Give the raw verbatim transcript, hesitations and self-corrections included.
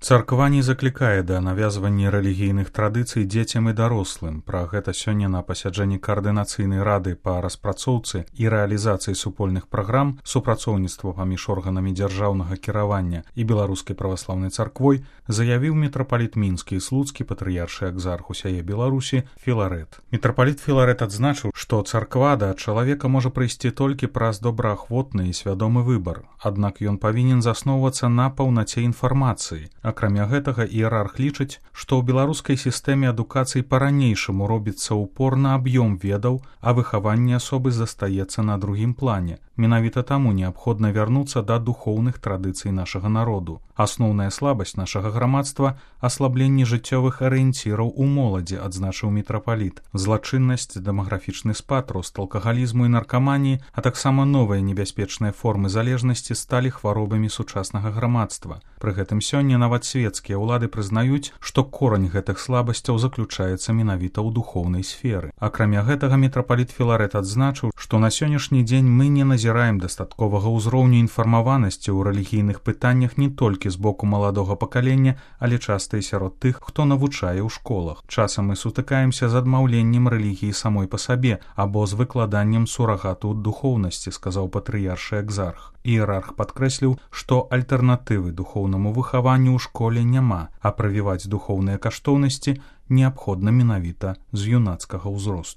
Царква не заклікае да навязвання рэлігійных традыцый дзецям і дарослым. Пра гэта сёння на пасяджэнні каардынацыйнай рады па распрацоўцы і рэалізацыі супольных праграм супрацоўніцтва паміж органамі дзяржаўнага кіравання і беларускай праваслаўнай царквой заявіў мітрапаліт мінскі і слуцкі патрыяршы экзарх усяе Беларусі Філарэт. Мітрапаліт Філарэт адзначыў, што царква да чалавека можа прыйсці толькі праз добраахвотны і свядомы выбар, аднак ён павінен засноўвацца на паўнаце інфармацыі. Акрамя гэтага, іерарх лічыць, што ў беларускай сістэме адукацыі па-ранейшаму робіцца ўпор на аб'ём ведаў, а выхаванне асобы застаецца на другім плане. Менавіта таму неабходна вярнуцца да духоўных традыцый нашага народу. Асноўная слабасць нашага грамадства – аслабленне жыццёвых арыенціраў у моладзі, адзначыў мітрапаліт. Злачыннасць, дэмаграфічны спад, рост алкагалізму і наркаманіі, а таксама новыя небяспечныя формы залежнасці сталі хваробамі сучаснага грамадства. Пры гэтым сёння нават свецкія ўлады прызнаюць, што корань гэтых слабасцяў заключаецца менавіта ў духоўнай сферы. Акрамя гэтага, мітрапаліт Філарэт адзначыў, што на сённяшні дзень мы не назіраем дастатковага ўзроўню інфармаванасці ў рэлігійных пытаннях не толькі з боку маладога пакалення, але часта і сярод тых, хто навучае ў школах. Часам мы сутыкаемся з адмаўленнем рэлігіі самой па сабе або з выкладаннем сурагату духоўнасці, сказаў патрыяршы экзарх. Іерарх падкрэсліў, што альтэрнатывы духоўнаму выхаванню ў школе няма, а правіваць духоўныя каштоўнасці неабходна менавіта з юнацкага ўзросту.